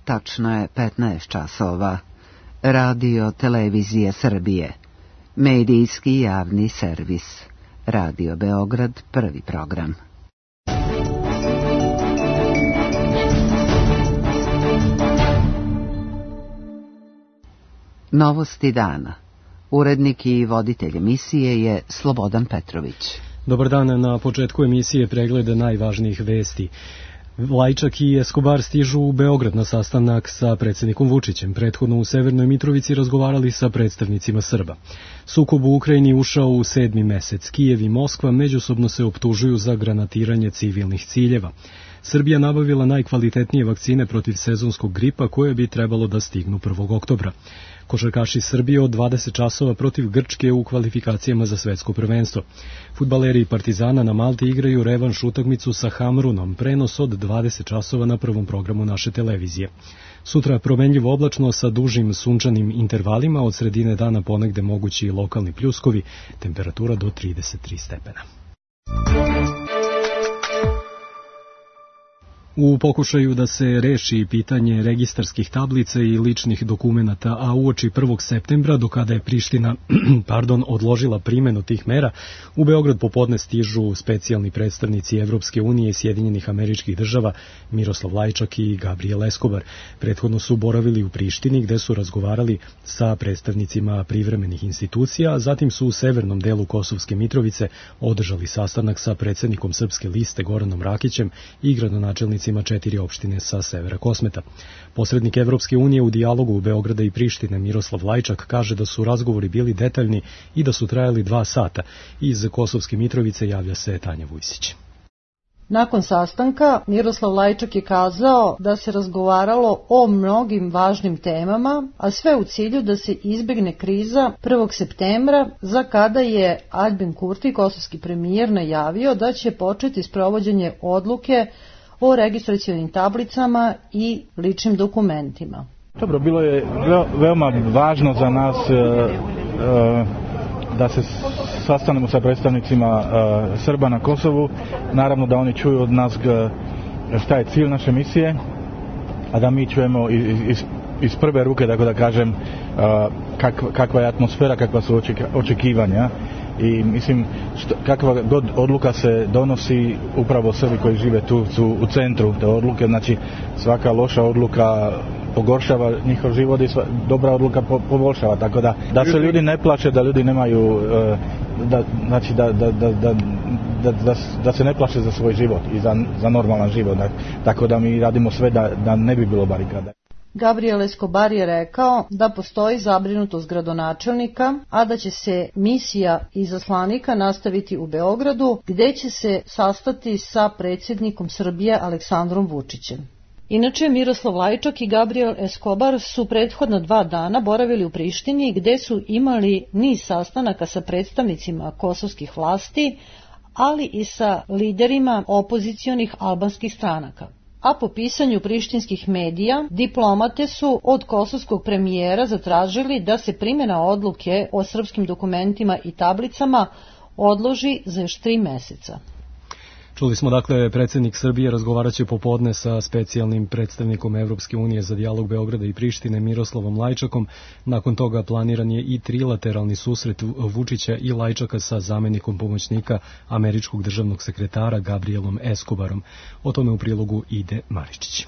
tačno je 15 časova. Radio Televizije Srbije. Medijski javni servis. Radio Beograd, prvi program. Novosti dana. Urednik i voditelj emisije je Slobodan Petrović. Dobar dan, na početku emisije pregleda najvažnijih vesti. Lajčak i Escobar stižu u Beograd na sastanak sa predsjednikom Vučićem. Prethodno u Severnoj Mitrovici razgovarali sa predstavnicima Srba. Sukob u Ukrajini ušao u 7. mesec. Kijev i Moskva međusobno se optužuju za granatiranje civilnih ciljeva. Srbija nabavila najkvalitetnije vakcine protiv sezonskog gripa koje bi trebalo da stignu 1. oktobra. Košarkaši Srbije od 20 časova protiv Grčke u kvalifikacijama za svetsko prvenstvo. Fudbaleri Partizana na Malti igraju revanš utakmicu sa Hamrunom, prenos od 20 časova na prvom programu naše televizije. Sutra promenljivo oblačno sa dužim sunčanim intervalima, od sredine dana ponegde mogući i lokalni pljuskovi, temperatura do 33 stepena. U pokušaju da se reši pitanje registarskih tablica i ličnih dokumenata, a uoči 1. septembra, do kada je Priština odložila primjenu tih mera, u Beograd popodne stižu specijalni predstavnici Evropske unije i Sjedinjenih Američkih Država Miroslav Lajčak i Gabriel Escobar. Prethodno su boravili u Prištini gde su razgovarali sa predstavnicima privremenih institucija, a zatim su u severnom delu Kosovske Mitrovice održali sastanak sa predsjednikom Srpske liste Goranom Rakićem i gradonačelnicima 4 opštine sa severa Kosmeta. Posrednik Evropske unije u dijalogu Beograda i Prištine Miroslav Lajčak kaže da su razgovori bili detaljni i da su trajali 2 sata. Iz Kosovske Mitrovice javlja se Tanja Vujsić. Nakon sastanka Miroslav Lajčak je kazao da se razgovaralo o mnogim važnim temama, a sve u cilju da se izbegne kriza 1. septembra, za kada je Aljbin Kurti, kosovski premijer, najavio da će početi sprovođenje odluke o registracionim tablicama i ličnim dokumentima. Dobro, bilo je veoma važno za nas da se sastanemo sa predstavnicima Srba na Kosovu. Naravno da oni čuju od nas šta je cilj naše misije, a da mi čujemo iz prve ruke, tako da kažem, kakva je atmosfera, kakva su očekivanja. I mislim, kakva god odluka se donosi, upravo Srbi koji žive tu su u centru te odluke. Znači svaka loša odluka pogoršava njihov život i dobra odluka poboljšava, tako da se ljudi ne plaše, da ljudi nemaju da se ne plaše za svoj život i za normalan život, tako da mi radimo sve da ne bi bilo barikada. Gabriel Escobar je rekao da postoji zabrinutost gradonačelnika, a da će se misija izaslanika nastaviti u Beogradu, gde će se sastati sa predsjednikom Srbije Aleksandrom Vučićem. Inače, Miroslav Lajčak i Gabriel Escobar su prethodna 2 dana boravili u Prištini, gde su imali niz sastanaka sa predstavnicima kosovskih vlasti, ali i sa liderima opozicionih albanskih stranaka. A po pisanju prištinskih medija, diplomate su od kosovskog premijera zatražili da se primjena odluke o srpskim dokumentima i tablicama odloži za još 3 meseca. Čuli smo, dakle, predsjednik Srbije razgovarat će popodne sa specijalnim predstavnikom Evropske unije za dijalog Beograda i Prištine Miroslavom Lajčakom. Nakon toga planiran je i trilateralni susret Vučića i Lajčaka sa zamjenikom pomoćnika američkog državnog sekretara Gabrielom Escobarom. O tome u prilogu Ide Maričić.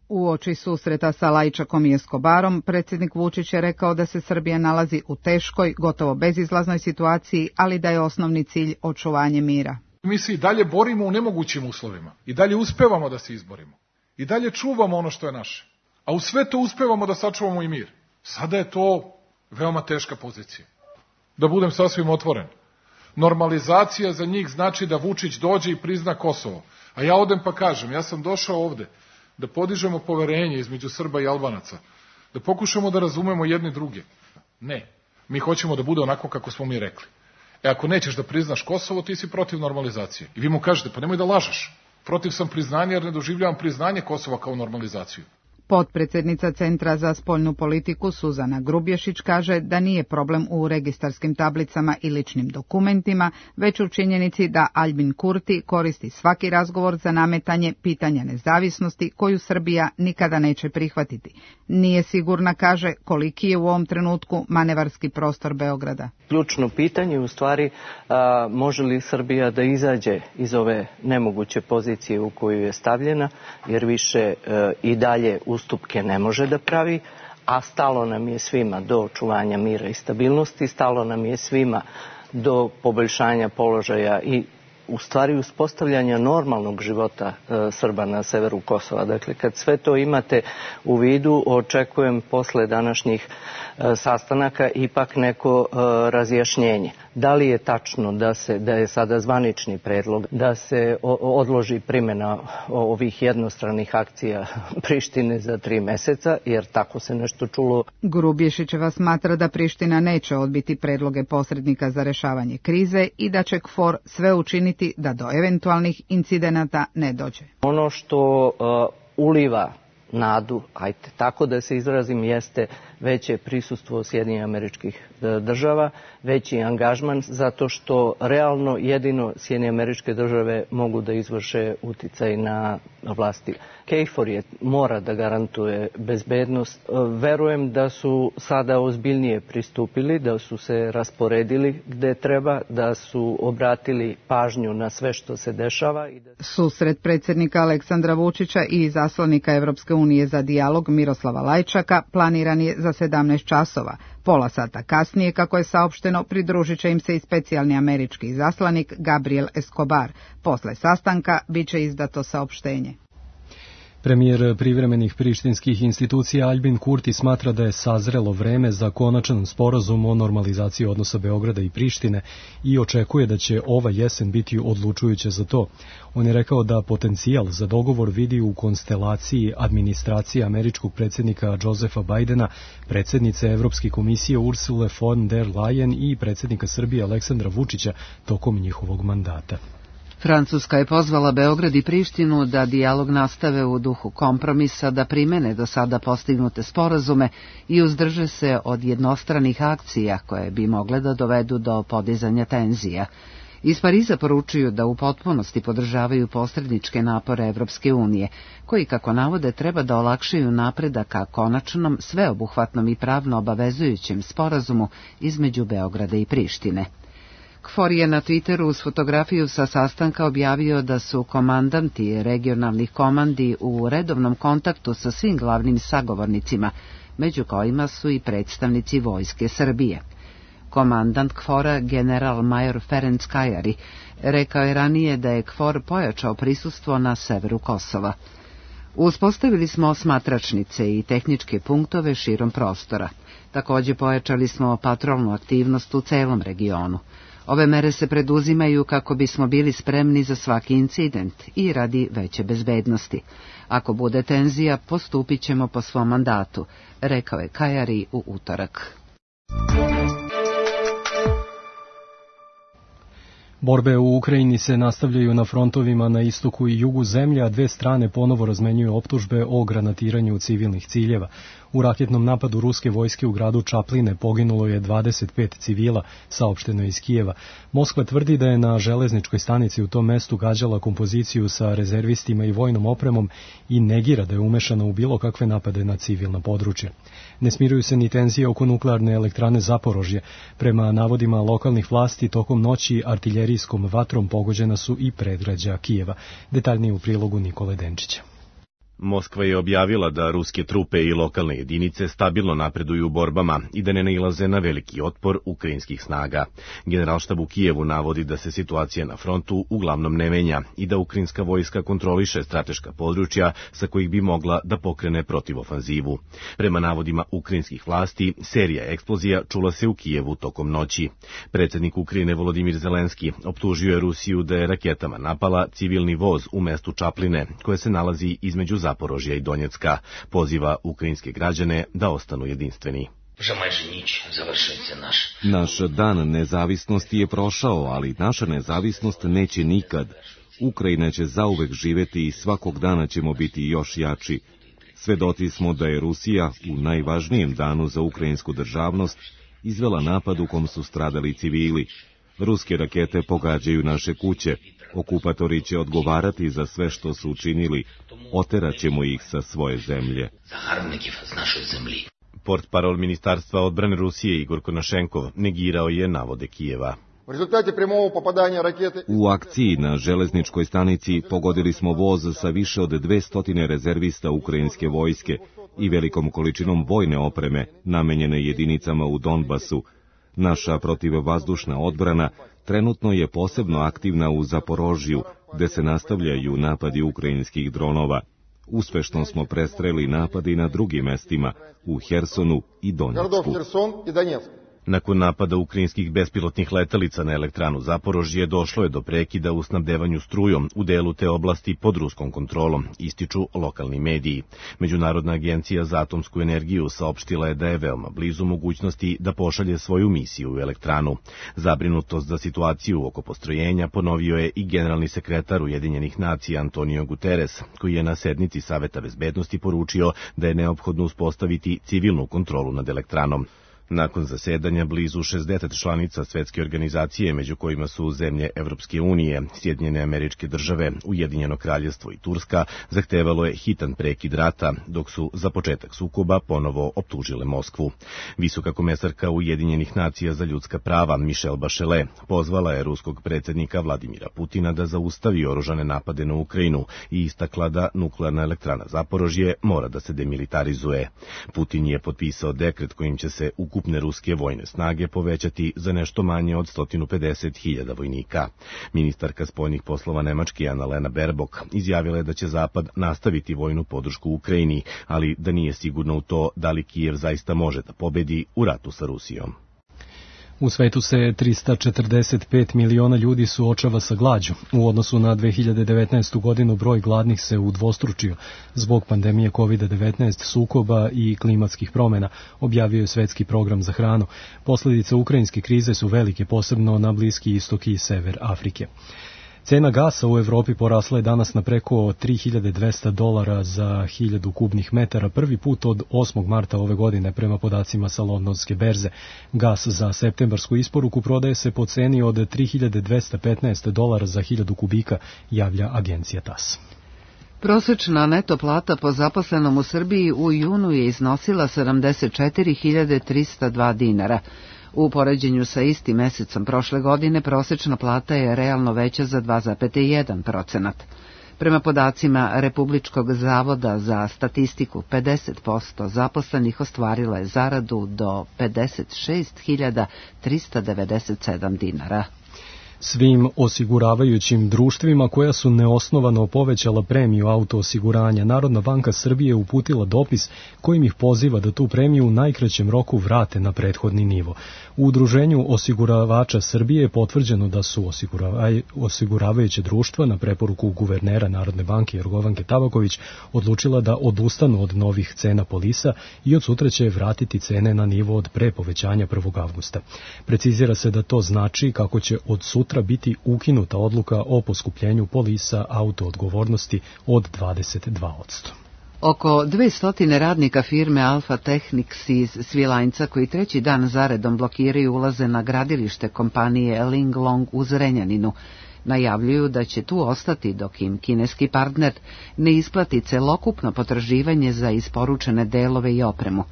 Uoči susreta sa Lajčakom i Escobarom, predsjednik Vučić je rekao da se Srbija nalazi u teškoj, gotovo bezizlaznoj situaciji, ali da je osnovni cilj očuvanje mira. Mi se i dalje borimo u nemogućim uslovima. I dalje uspevamo da se izborimo. I dalje čuvamo ono što je naše. A u sve to uspevamo da sačuvamo i mir. Sada je to veoma teška pozicija. Da budem sasvim otvoren. Normalizacija za njih znači da Vučić dođe i prizna Kosovo. A ja odem pa kažem, ja sam došao ovde da podižemo poverenje između Srba i Albanaca. Da pokušamo da razumemo jedni druge. Ne. Mi hoćemo da bude onako kako smo mi rekli. Ako nećeš da priznaš Kosovo, ti si protiv normalizacije. I vi mu kažete, pa nemoj da lažeš. Protiv sam priznanja jer ne doživljavam priznanje Kosova kao normalizaciju. Potpredsjednica Centra za spoljnu politiku Suzana Grubješić kaže da nije problem u registarskim tablicama i ličnim dokumentima, već u činjenici da Albin Kurti koristi svaki razgovor za nametanje pitanja nezavisnosti koju Srbija nikada neće prihvatiti. Nije sigurna, kaže, koliki je u ovom trenutku manevarski prostor Beograda. Ključno pitanje u stvari može li Srbija da izađe iz ove nemoguće pozicije u koju je stavljena, jer više i dalje ustupke ne može da pravi, a stalo nam je svima do očuvanja mira i stabilnosti, stalo nam je svima do poboljšanja položaja i u stvari uspostavljanja normalnog života Srba na severu Kosova. Dakle, kad sve to imate u vidu, očekujem posle današnjih sastanaka ipak neko razjašnjenje. Da li je tačno da je sada zvanični predlog da se odloži primjena ovih jednostranih akcija Prištine za 3 meseca, jer tako se nešto čulo. Grubješićeva smatra da Priština neće odbiti predloge posrednika za rešavanje krize i da će KFOR sve učiniti da do eventualnih incidenata ne dođe. Ono što uliva nadu, tako da se izrazim, jeste veće prisustvo Sjedinjenih Američkih Država, veći angažman, zato što realno jedino Sjedinjene Američke Države mogu da izvrše uticaj na vlasti. KFOR mora da garantuje bezbednost. Verujem da su sada ozbiljnije pristupili, da su se rasporedili gde treba, da su obratili pažnju na sve što se dešava. Susret predsjednika Aleksandra Vučića i izaslanika Evropske unije za dijalog Miroslava Lajčaka planiran je za 17 časova. Pola sata kasnije, kako je saopšteno, pridružit će im se i specijalni američki izaslanik Gabriel Escobar. Posle sastanka bit će izdato saopštenje. Premijer privremenih prištinskih institucija Albin Kurti smatra da je sazrelo vreme za konačan sporazum o normalizaciji odnosa Beograda i Prištine i očekuje da će ova jesen biti odlučujuća za to. On je rekao da potencijal za dogovor vidi u konstelaciji administracije američkog predsjednika Josefa Bajdena, predsjednice Evropske komisije Ursule von der Leyen i predsjednika Srbije Aleksandra Vučića tokom njihovog mandata. Francuska je pozvala Beograd i Prištinu da dijalog nastave u duhu kompromisa, da primene do sada postignute sporazume i uzdrže se od jednostranih akcija koje bi mogle da dovedu do podizanja tenzija. Iz Pariza poručuju da u potpunosti podržavaju posredničke napore Evropske unije, koji, kako navode, treba da olakšaju napredak ka konačnom, sveobuhvatnom i pravno obavezujućem sporazumu između Beograda i Prištine. KFOR je na Twitteru uz fotografiju sa sastanka objavio da su komandanti regionalnih komandi u redovnom kontaktu sa svim glavnim sagovornicima, među kojima su i predstavnici Vojske Srbije. Komandant KFOR-a, general major Ferenc Kajari, rekao je ranije da je KFOR pojačao prisustvo na severu Kosova. Uspostavili smo osmatračnice i tehničke punktove širom prostora. Također pojačali smo patrolnu aktivnost u celom regionu. Ove mere se preduzimaju kako bismo bili spremni za svaki incident i radi veće bezbednosti. Ako bude tenzija, postupit ćemo po svom mandatu, rekao je Kajari u utorak. Borbe u Ukrajini se nastavljaju na frontovima na istoku i jugu zemlje, a dve strane ponovo razmenjuju optužbe o granatiranju civilnih ciljeva. U raketnom napadu ruske vojske u gradu Čapline poginulo je 25 civila, saopšteno je iz Kijeva. Moskva tvrdi da je na železničkoj stanici u tom mestu gađala kompoziciju sa rezervistima i vojnom opremom i negira da je umešana u bilo kakve napade na civilna područja. Ne smiruju se ni tenzije oko nuklearne elektrane Zaporožje. Prema navodima lokalnih vlasti, tokom noći artiljerijskom vatrom pogođena su i predgrađa Kijeva. Detaljnije u prilogu Nikole Denčića. Moskva je objavila da ruske trupe i lokalne jedinice stabilno napreduju u borbama i da ne nailaze na veliki otpor ukrajinskih snaga. Generalštab u Kijevu navodi da se situacija na frontu uglavnom ne menja i da ukrajinska vojska kontroliše strateška područja sa kojih bi mogla da pokrene protivofanzivu. Prema navodima ukrajinskih vlasti, serija eksplozija čula se u Kijevu tokom noći. Predsjednik Ukrajine Volodimir Zelenski optužio je Rusiju da je raketama napala civilni voz u mestu Čapline, koje se nalazi između Zaporožja i Donjecka. Poziva ukrajinske građane da ostanu jedinstveni. Naš dan nezavisnosti je prošao, ali naša nezavisnost neće nikad. Ukrajina će zauvek živeti i svakog dana ćemo biti još jači. Svedoci smo da je Rusija u najvažnijem danu za ukrajinsku državnost izvela napad u kom su stradali civili. Ruske rakete pogađaju naše kuće. Okupatori će odgovarati za sve što su učinili. Oteraćemo ih sa svoje zemlje. Portparol Ministarstva odbrane Rusije Igor Konašenkov negirao je navode Kijeva. U akciji na železničkoj stanici pogodili smo voz sa više od 200 rezervista ukrajinske vojske i velikom količinom vojne opreme namenjene jedinicama u Donbasu. Naša protivvazdušna odbrana trenutno je posebno aktivna u Zaporožju, gde se nastavljaju napadi ukrajinskih dronova. Uspešno smo prestreli napade na drugim mestima, u Hersonu i Donjecku. Nakon napada ukrajinskih bespilotnih letelica na elektranu Zaporožje došlo je do prekida u snabdevanju strujom u delu te oblasti pod ruskom kontrolom, ističu lokalni mediji. Međunarodna agencija za atomsku energiju saopštila je da je veoma blizu mogućnosti da pošalje svoju misiju u elektranu. Zabrinutost za situaciju oko postrojenja ponovio je i generalni sekretar Ujedinjenih nacija Antonio Guterres, koji je na sednici Saveta bezbednosti poručio da je neophodno uspostaviti civilnu kontrolu nad elektranom. Nakon zasedanja blizu 60 članica svetske organizacije, među kojima su zemlje Evropske unije, Sjedinjene Američke Države, Ujedinjeno Kraljevstvo i Turska, zahtevalo je hitan prekid rata, dok su za početak sukoba ponovo optužile Moskvu. Visoka komesarka Ujedinjenih nacija za ljudska prava Michelle Bachelet pozvala je ruskog predsjednika Vladimira Putina da zaustavi oružane napade na Ukrajinu i istakla da nuklearna elektrana Zaporožje mora da se demilitarizuje. Putin je potpisao dekret kojim će se ukupne ruske vojne snage povećati za nešto manje od 150.000 vojnika. Ministarka spoljnih poslova Nemačke Annalena Baerbock izjavila je da će Zapad nastaviti vojnu podršku Ukrajini, ali da nije sigurno u to da li Kijev zaista može da pobedi u ratu sa Rusijom. U svetu se 345 miliona ljudi suočava sa glađu. U odnosu na 2019. godinu broj gladnih se udvostručio zbog pandemije COVID-19, sukoba i klimatskih promjena, objavio je Svetski program za hranu. Posljedice ukrajinske krize su velike, posebno na Bliski istok i sever Afrike. Cena gasa u Evropi porasla je danas na preko $3.200 za 1000 kubnih metara, prvi put od 8. marta ove godine prema podacima sa londonske berze. Gas za septembarsku isporuku prodaje se po ceni od $3.215 za 1000 kubika, javlja agencija TAS. Prosečna neto plata po zaposlenom u Srbiji u junu je iznosila 74.302 dinara. U poređenju sa istim mesecom prošle godine prosečna plata je realno veća za 2,1%. Prema podacima Republičkog zavoda za statistiku, 50% zaposlenih ostvarila je zaradu do 56.397 dinara. Svim osiguravajućim društvima koja su neosnovano povećala premiju autoosiguranja, Narodna banka Srbije uputila dopis kojim ih poziva da tu premiju u najkraćem roku vrate na prethodni nivo. U Udruženju osiguravača Srbije je potvrđeno da su osiguravajuće društva na preporuku guvernera Narodne banke Jorgovanke Tabaković odlučila da odustanu od novih cena polisa i od sutra će vratiti cene na nivo od pre povećanja 1. avgusta. Precizira se da to znači kako će od sutra biti ukinuta odluka o poskupljenju polisa autoodgovornosti od 22%. Oko 200 radnika firme Alfa Technics iz Svilajnca koji treći dan zaredom blokiraju ulaze na gradilište kompanije Linglong u Zrenjaninu. Najavljuju da će tu ostati dok im kineski partner ne isplati celokupno potraživanje za isporučene delove i opremu.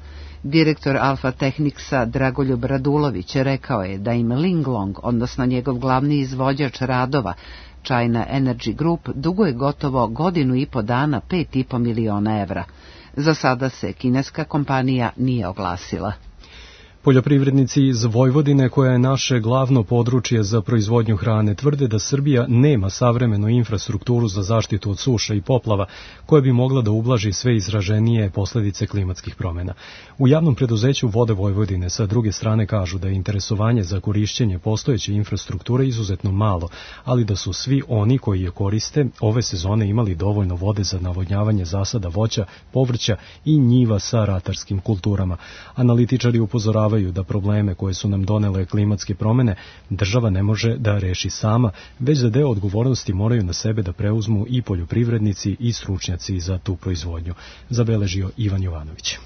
Direktor Alfa Technicsa Dragoljub Radulović rekao je da im Linglong, odnosno njegov glavni izvođač radova, China Energy Group, duguje gotovo 1,5 dana 5,5 miliona evra. Za sada se kineska kompanija nije oglasila. Poljoprivrednici iz Vojvodine, koja je naše glavno područje za proizvodnju hrane, tvrde da Srbija nema savremenu infrastrukturu za zaštitu od suša i poplava, koja bi mogla da ublaži sve izraženije posljedice klimatskih promjena. U javnom preduzeću Vode Vojvodine sa druge strane kažu da je interesovanje za korišćenje postojeće infrastrukture izuzetno malo, ali da su svi oni koji je koriste ove sezone imali dovoljno vode za navodnjavanje zasada voća, povrća i njiva sa ratarskim kulturama. Analitičari upozoravaju upozoravaju da probleme koje su nam donele klimatske promene država ne može da reši sama, već da deo odgovornosti moraju na sebe da preuzmu i poljoprivrednici i stručnjaci za tu proizvodnju, zabeležio Ivan Jovanović.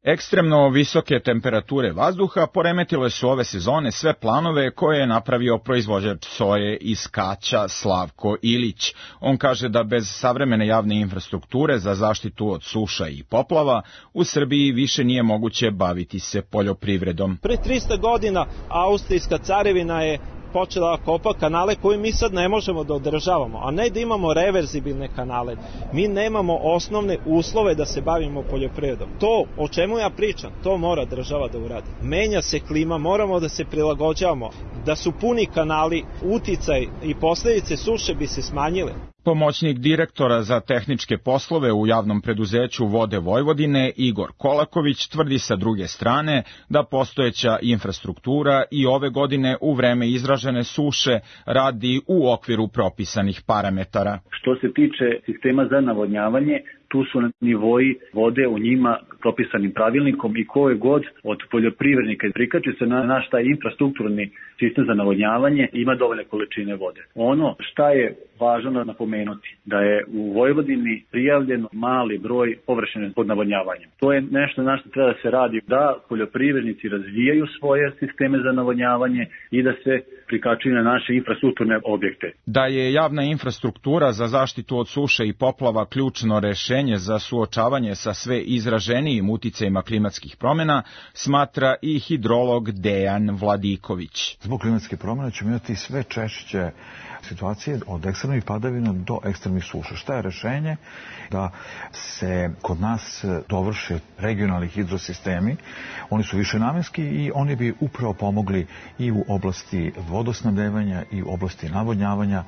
Ekstremno visoke temperature vazduha poremetile su ove sezone sve planove koje je napravio proizvođač soje iz Kaća Slavko Ilić. On kaže da bez savremene javne infrastrukture za zaštitu od suša i poplava u Srbiji više nije moguće baviti se poljoprivredom. Pre 300 godina Austrijska carevina je počela kopa kanale koje mi sad ne možemo da održavamo, a ne da imamo reverzibilne kanale. Mi nemamo osnovne uslove da se bavimo poljoprivredom. To o čemu ja pričam, to mora država da uradi. Menja se klima, moramo da se prilagođavamo. Da su puni kanali, uticaj i posledice suše bi se smanjile. Pomoćnik direktora za tehničke poslove u javnom preduzeću Vode Vojvodine Igor Kolaković tvrdi sa druge strane da postojeća infrastruktura i ove godine u vreme izražene suše radi u okviru propisanih parametara. Što se tiče sistema za navodnjavanje, tu su nivoji vode u njima propisanim pravilnikom i koje god od poljoprivrednika prikači se na naš taj infrastrukturni sistem za navodnjavanje ima dovoljne količine vode. Ono šta je važno napomenuti, da je u Vojvodini prijavljen mali broj površine pod navodnjavanjem. To je nešto na što treba da se radi, da poljoprivrednici razvijaju svoje sisteme za navodnjavanje i da se prikačuju na naše infrastrukturne objekte. Da je javna infrastruktura za zaštitu od suše i poplava ključno rešenje za suočavanje sa sve izraženijim uticajima klimatskih promjena, smatra i hidrolog Dejan Vladiković. Zbog klimatske promjene ćemo imati sve češće situacije od ekstremnih padavina do ekstremnih suša. Šta je rešenje? Da se kod nas dovrše regionalni hidrosistemi. Oni su višenamenski i oni bi upravo pomogli i u oblasti vodosnabdevanja i u oblasti navodnjavanja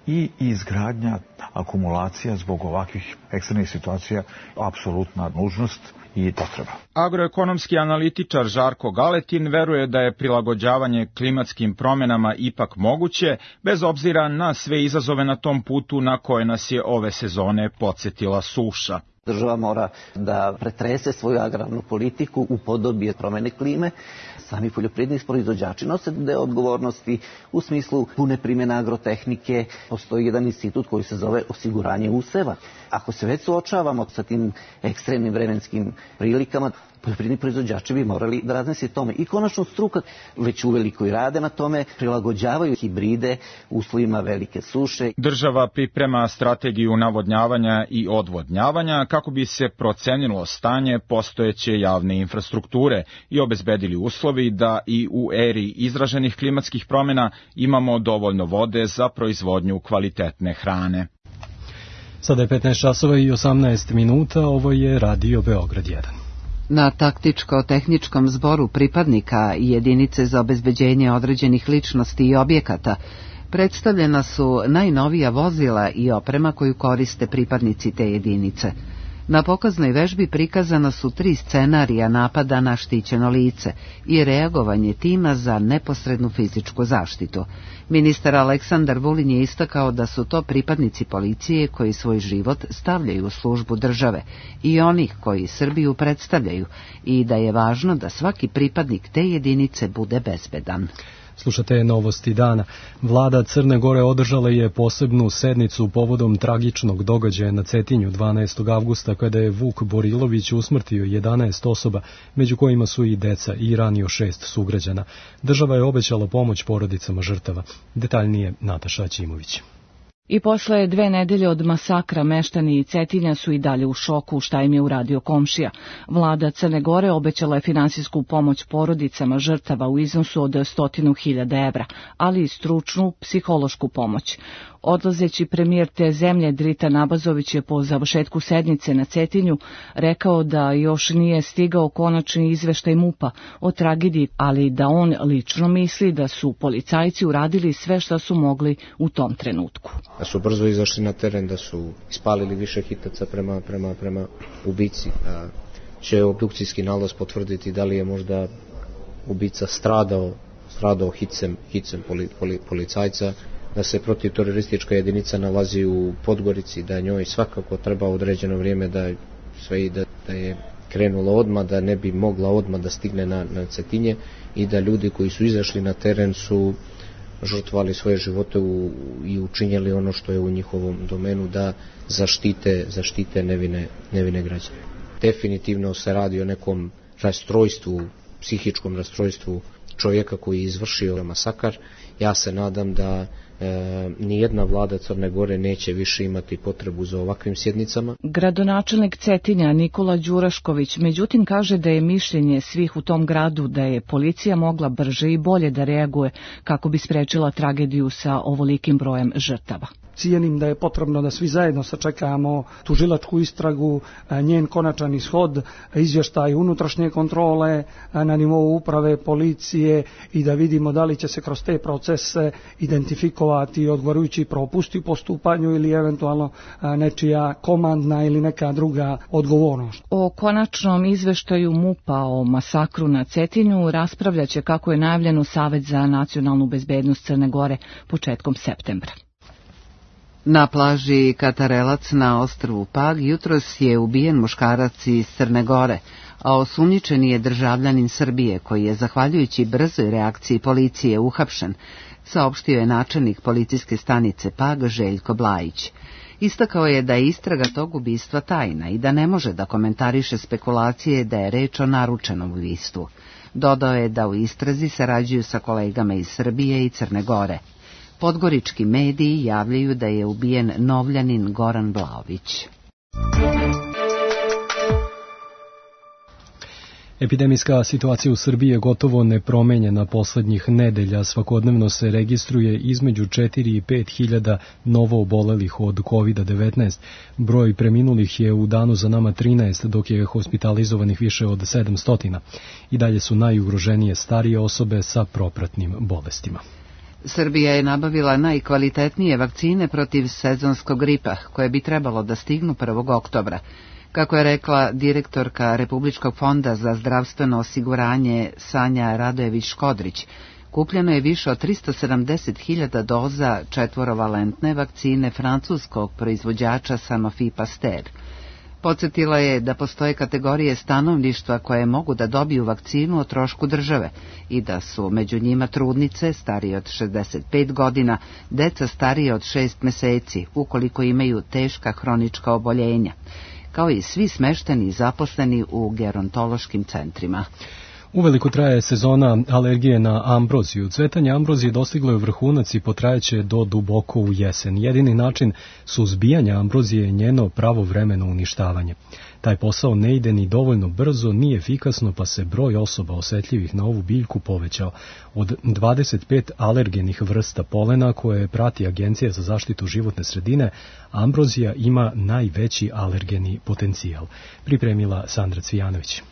i izgradnja akumulacija zbog ovakvih ekstremnih situacija apsolutna nužnost i potreba. Agroekonomski analitičar Žarko Galetin veruje da je prilagođavanje klimatskim promjenama ipak moguće, bez obzira na sve izazove na tom putu na koje nas je ove sezone podsjetila suša. Država mora da pretrese svoju agrarnu politiku u podobi promene klime. Sami poljoprivredni proizvođači nose deo odgovornosti u smislu pune primjene agrotehnike. Postoji jedan institut koji se zove osiguranje useva. Ako se već suočavamo sa tim ekstremnim vremenskim prilikama, poljoprivredni proizvođači bi morali da razmisle tome. I konačno struka već uveliko i rade na tome, prilagođavaju hibride uslovima velike suše. Država priprema strategiju navodnjavanja i odvodnjavanja kako bi se procenilo stanje postojeće javne infrastrukture i obezbedili uslovi da i u eri izraženih klimatskih promjena imamo dovoljno vode za proizvodnju kvalitetne hrane. Sada je 15 časova i 18 minuta, ovo je Radio Beograd 1. Na taktičko-tehničkom zboru pripadnika i jedinice za obezbeđenje određenih ličnosti i objekata predstavljena su najnovija vozila i oprema koju koriste pripadnici te jedinice. Na pokaznoj vežbi prikazana su 3 scenarija napada na štićeno lice i reagovanje tima za neposrednu fizičku zaštitu. Ministar Aleksandar Vulin je istakao da su to pripadnici policije koji svoj život stavljaju u službu države i onih koji Srbiju predstavljaju i da je važno da svaki pripadnik te jedinice bude bezbedan. Slušate novosti dana. Vlada Crne Gore održala je posebnu sednicu povodom tragičnog događaja na Cetinju 12. avgusta kada je Vuk Borilović usmrtio 11 osoba, među kojima su i deca, i ranio 6 sugrađana. Država je obećala pomoć porodicama žrtava. Detaljnije Nataša Aćimović. I posle 2 nedelje od masakra meštani Cetinja su i dalje u šoku, šta im je uradio komšija. Vlada Crne Gore obećala je finansijsku pomoć porodicama žrtava u iznosu od 100.000 evra, ali i stručnu psihološku pomoć. Odlazeći premijer te zemlje Drita Nabazović je po završetku sednice na Cetinju rekao da još nije stigao konačni izveštaj MUP-a o tragediji, ali da on lično misli da su policajci uradili sve što su mogli u tom trenutku. Da su brzo izašli na teren, da su ispalili više hitaca prema ubici. Će obdukcijski nalaz potvrditi da li je možda ubica stradao hicem policajca, da se protivteroristička jedinica nalazi u Podgorici, da njoj svakako treba određeno vrijeme da je krenula odmah, da ne bi mogla odmah da stigne na Cetinje i da ljudi koji su izašli na teren su žrtvovali svoje živote i učinjeli ono što je u njihovom domenu da zaštite nevine građane. Definitivno se radi o nekom rastrojstvu, psihičkom rastrojstvu čovjeka koji je izvršio masakar. Ja se nadam da nijedna vlada Crne Gore neće više imati potrebu za ovakvim sjednicama. Gradonačelnik Cetinja Nikola Đurašković međutim kaže da je mišljenje svih u tom gradu da je policija mogla brže i bolje da reaguje kako bi sprečila tragediju sa ovolikim brojem žrtava. Cijenim da je potrebno da svi zajedno sačekamo tužilačku istragu, njen konačan ishod, izvještaj unutrašnje kontrole na nivou uprave, policije i da vidimo da li će se kroz te procese identifikovati odgovarajući propusti u postupanju ili eventualno nečija komandna ili neka druga odgovornost. O konačnom izveštaju MUP-a o masakru na Cetinju raspravljaće, kako je najavljeno, Savet za nacionalnu bezbednost Crne Gore početkom septembra. Na plaži Katarelac na ostrvu Pag jutros je ubijen muškarac iz Crne Gore, a osumnjičeni je državljanin Srbije koji je, zahvaljujući brzoj reakciji policije, uhapšen, saopštio je načelnik policijske stanice Pag Željko Blajić. Istakao je da je istraga tog ubistva tajna i da ne može da komentariše spekulacije da je reč o naručenom ubistvu. Dodao je da u istrazi sarađuju sa kolegama iz Srbije i Crne Gore. Podgorički mediji javljaju da je ubijen Novljanin Goran Vlaović. Epidemijska situacija u Srbiji je gotovo nepromenjena poslednjih nedelja. Svakodnevno se registruje između 4 i 5 hiljada novo obolelih od COVID-19. Broj preminulih je u danu za nama 13, dok je hospitalizovanih više od 700. I dalje su najugroženije starije osobe sa propratnim bolestima. Srbija je nabavila najkvalitetnije vakcine protiv sezonskog gripa, koje bi trebalo da stignu 1. oktobra. Kako je rekla direktorka Republičkog fonda za zdravstveno osiguranje Sanja Radojević-Škodrić, kupljeno je više od 370.000 doza četvorovalentne vakcine francuskog proizvođača Sanofi Pasteur. Podsjetila je da postoje kategorije stanovništva koje mogu da dobiju vakcinu o trošku države i da su među njima trudnice starije od 65 godina, deca starije od 6 meseci, ukoliko imaju teška hronička oboljenja, kao i svi smešteni i zaposleni u gerontološkim centrima. Uveliko traje sezona alergije na ambroziju. Cvetanje ambrozije dostiglo je vrhunac i potrajeće do duboko u jesen. Jedini način suzbijanja ambrozije je njeno pravovremeno uništavanje. Taj posao ne ide ni dovoljno brzo, ni efikasno, pa se broj osoba osetljivih na ovu biljku povećao. Od 25 alergenih vrsta polena koje prati Agencija za zaštitu životne sredine, ambrozija ima najveći alergeni potencijal. Pripremila Sandra Cvijanović.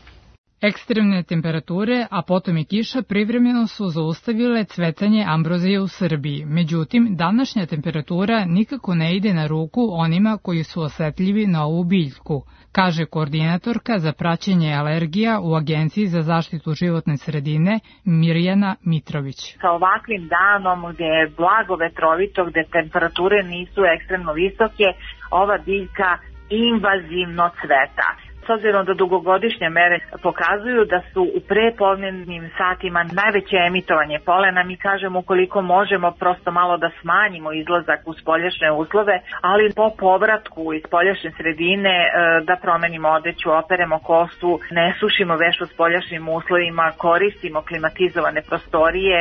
Ekstremne temperature, a potom i kiša privremeno su zaustavile cvetanje ambrozije u Srbiji. Međutim, današnja temperatura nikako ne ide na ruku onima koji su osetljivi na ovu biljku, kaže koordinatorka za praćenje alergija u Agenciji za zaštitu životne sredine Mirjana Mitrović. Sa ovakvim danom gde je blago vetrovito, gde temperature nisu ekstremno visoke, ova biljka invazivno cveta. S obzirom da dugogodišnje mere pokazuju da su u prepodnevnim satima najveće emitovanje polena, mi kažemo ukoliko možemo prosto malo da smanjimo izlazak u spoljašnje uslove, ali po povratku iz spoljašnje sredine da promenimo odeću, operemo kosu, ne sušimo veš u spoljašnjim uslovima, koristimo klimatizovane prostorije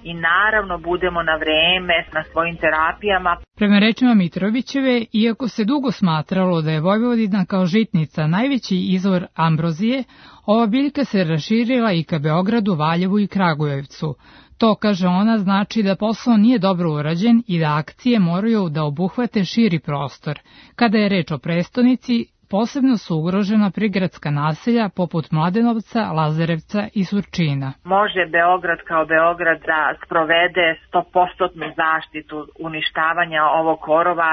i naravno budemo na vreme na svojim terapijama. Prema rečima Mitrovićeve, iako se dugo smatralo da je Vojvodina kao žitnica najveći izvor ambrozije, ova biljka se raširila i ka Beogradu, Valjevu i Kragujevcu. To, kaže ona, znači da posao nije dobro urađen i da akcije moraju da obuhvate širi prostor. Kada je reč o prestonici, posebno su ugrožena prigradska naselja poput Mladenovca, Lazarevca i Surčina. Može Beograd kao Beograd da sprovede 100% zaštitu uništavanja ovog korova,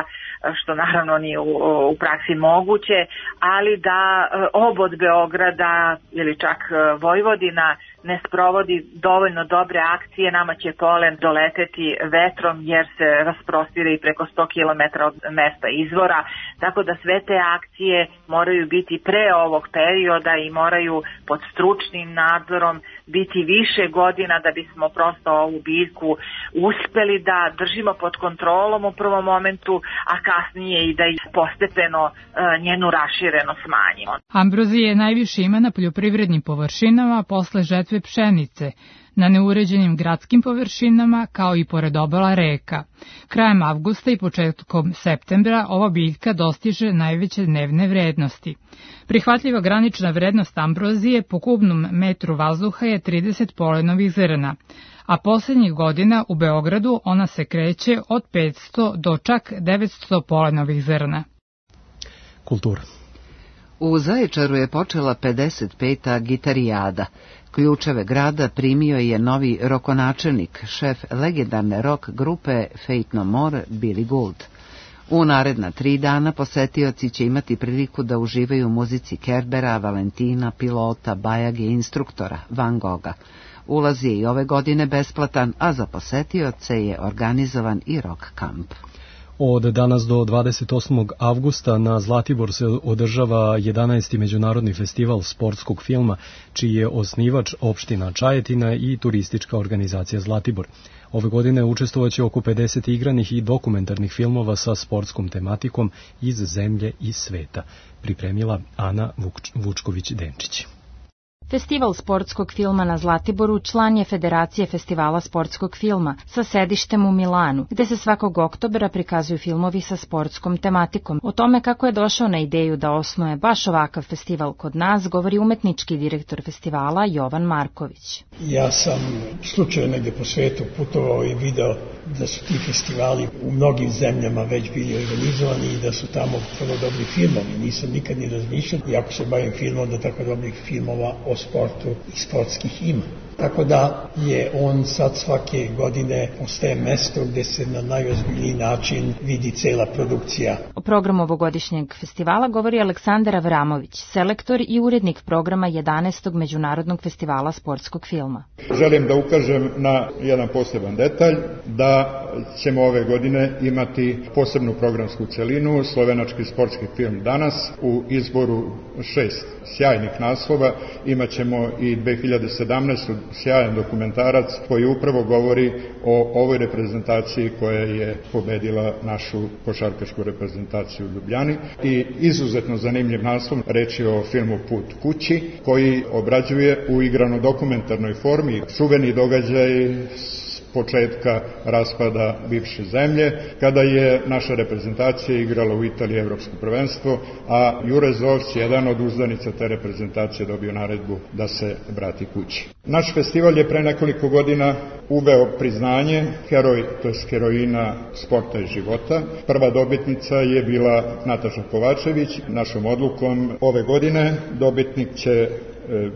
što naravno nije u praksi moguće, ali da obod Beograda ili čak Vojvodina ne sprovodi dovoljno dobre akcije, nama će polen doleteti vetrom jer se rasprostire i preko 100 km od mesta izvora, tako da sve te akcije moraju biti pre ovog perioda i moraju pod stručnim nadzorom biti više godina da bismo prosto ovu biljku uspeli da držimo pod kontrolom u prvom momentu, a kasnije i da postepeno njenu raširenost smanjimo. Ambrozije najviše ima na poljoprivrednim površinama posle žetve pšenice, na neuređenim gradskim površinama kao i pored obala reka. Krajem avgusta i početkom septembra ova biljka dostiže najveće dnevne vrednosti. Prihvatljiva granična vrednost ambrozije po kubnom metru vazduha je 30 polenovih zrna, a poslednjih godina u Beogradu ona se kreće od 500 do čak 900 polenovih zrna. Kultura. U Zaječaru je počela 55. gitarijada. Ključeve grada primio je novi rokonačelnik, šef legendarne rock grupe Faith No More, Billy Gould. U naredna 3 dana posetioci će imati priliku da uživaju u muzici Kerbera, Valentina, Pilota, Bajage i instruktora Van Gogha. Ulaz je i ove godine besplatan, a za posetioce je organizovan i rock kamp. Od danas do 28. avgusta na Zlatibor se održava 11. međunarodni festival sportskog filma, čiji je osnivač opština Čajetina i turistička organizacija Zlatibor. Ove godine učestvovaće oko 50 igranih i dokumentarnih filmova sa sportskom tematikom iz zemlje i sveta, pripremila Ana Vučković-Denčić. Festival sportskog filma na Zlatiboru član je Federacije festivala sportskog filma sa sedištem u Milanu, gde se svakog oktobra prikazuju filmovi sa sportskom tematikom. O tome kako je došao na ideju da osnuje baš ovakav festival kod nas, govori umetnički direktor festivala Jovan Marković. Ja sam slučajno negde po svetu putovao i video da su ti festivali u mnogim zemljama već bili organizovani i da su tamo vrlo dobri filmovi. Nisam nikad ni razmišljao, iako se bavim filmom, da tako dobrih filmova o sportu i sportskih ima. Tako da je on sad svake godine postaje mesto gde se na najozbiljniji način vidi cela produkcija. O programu ovogodišnjeg festivala govori Aleksandar Avramović, selektor i urednik programa 11. Međunarodnog festivala sportskog filma. Želim da ukažem na jedan poseban detalj, da ćemo ove godine imati posebnu programsku celinu, slovenački sportski film Danas, u izboru 6 sjajnih naslova. Imaćemo i 2017. sjajan dokumentarac koji upravo govori o ovoj reprezentaciji koja je pobedila našu košarkašku reprezentaciju u Ljubljani. I izuzetno zanimljiv naslov, reč je o filmu Put kući, koji obrađuje u igrano dokumentarnoj formi čuveni događaj početka raspada bivše zemlje, kada je naša reprezentacija igrala u Italiji evropsko prvenstvo, a Jure Zovć, jedan od uzdanica te reprezentacije, dobio naredbu da se vrati kući. Naš festival je pre nekoliko godina uveo priznanje heroj, to je heroina sporta i života. Prva dobitnica je bila Nataša Kovačević. Našom odlukom ove godine dobitnik će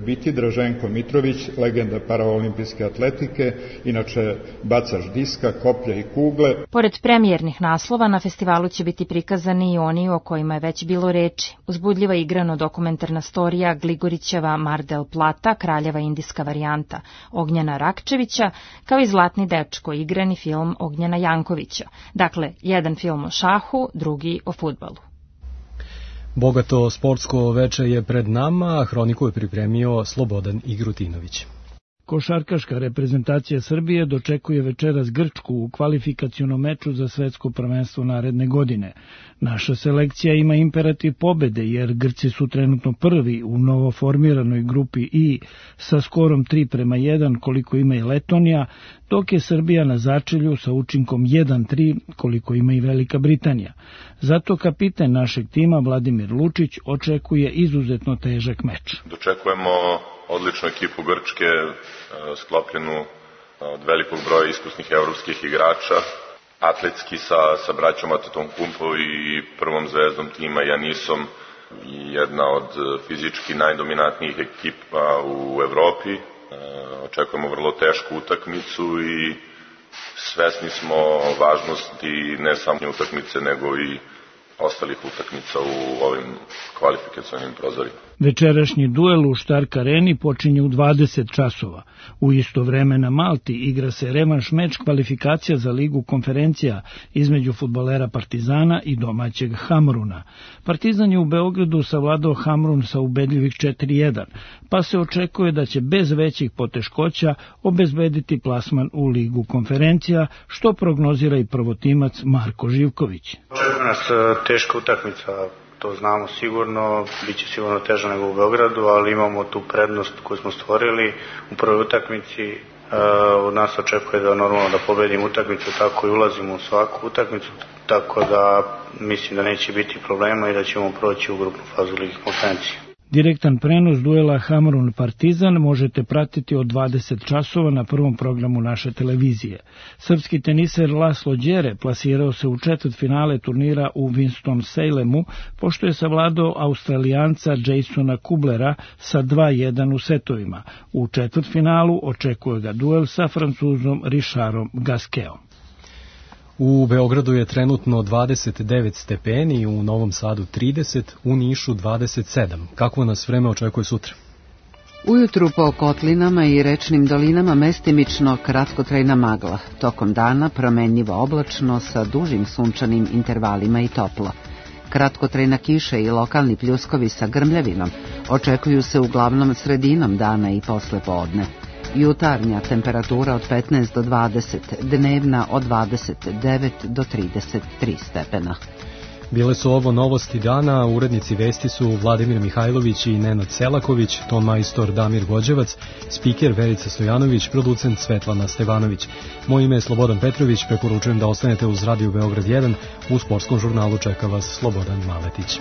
biti Draženko Mitrović, legenda paraolimpijske atletike, inače bacač diska, koplja i kugle. Pored premijernih naslova, na festivalu će biti prikazani i oni o kojima je već bilo reči. Uzbudljiva igrano dokumentarna storija Gligorićeva Mar del Plata, kraljeva indijska varijanta Ognjena Rakčevića, kao i Zlatni dečko, igrani film Ognjena Jankovića. Dakle, jedan film o šahu, drugi o fudbalu. Bogato sportsko veče je pred nama, a hroniku je pripremio Slobodan Igrutinović. Košarkaška reprezentacija Srbije dočekuje večeras Grčku u kvalifikacionom meču za svetsko prvenstvo naredne godine. Naša selekcija ima imperativ pobede jer Grci su trenutno prvi u novoformiranoj grupi I sa skorom 3:1 koliko ima i Letonija, dok je Srbija na začelju sa učinkom 1:3 koliko ima i Velika Britanija. Zato kapiten našeg tima Vladimir Lučić očekuje izuzetno težak meč. Dočekujemo odličnu ekipu Grčke, sklopljenu od velikog broja iskusnih evropskih igrača, atletski sa braćom Antetokounmpo i prvom zvezdom tima Janisom, jedna od fizički najdominantnijih ekipa u Evropi. Očekujemo vrlo tešku utakmicu i svesni smo važnosti ne samo utakmice nego i ostalih utakmica u ovim kvalifikacionim prozorima. Večerašnji duel u Stark Areni počinje u 20 časova. U isto vreme na Malti igra se revanš meč kvalifikacija za Ligu konferencija između fudbalera Partizana i domaćeg Hamruna. Partizan je u Beogradu savladao Hamrun sa ubedljivih 4-1, pa se očekuje da će bez većih poteškoća obezbediti plasman u Ligu konferencija, što prognozira i prvotimac Marko Živković. Očekuje nas teška utakmica, to znamo sigurno, bit će sigurno teže nego u Beogradu, ali imamo tu prednost koju smo stvorili u prvoj utakmici. Od nas očekuje da normalno da pobedimo utakmicu, tako i ulazimo u svaku utakmicu, tako da mislim da neće biti problema i da ćemo proći u grupnu fazu Lige konferencije. Direktan prenos duela Hamrun-Partizan možete pratiti od 20 časova na prvom programu naše televizije. Srpski teniser Laslo Đere plasirao se u četvrtfinale turnira u Winston-Salemu, pošto je savladao Australijanca Jasona Kublera sa 2-1 u setovima. U četvrtfinalu očekuje ga duel sa Francuzom Richardom Gasqueom. U Beogradu je trenutno 29 stepeni, u Novom Sadu 30, u Nišu 27. Kako nas vreme očekuje sutra? Ujutru po kotlinama i rečnim dolinama mestimično kratkotrajna magla. Tokom dana promenljivo oblačno sa dužim sunčanim intervalima i toplo. Kratkotrajna kiša i lokalni pljuskovi sa grmljavinom očekuju se uglavnom sredinom dana i posle podne. Jutarnja temperatura od 15 do 20, dnevna od 29 do 33 stepena. Bile su ovo novosti dana, urednici vesti su Vladimir Mihajlović i Nenad Selaković, ton majstor Damir Gođevac, spiker Verica Stojanović, producent Svetlana Stevanović. Moje ime je Slobodan Petrović, preporučujem da ostanete uz Radio Beograd 1, u sportskom žurnalu čeka vas Slobodan Maletić.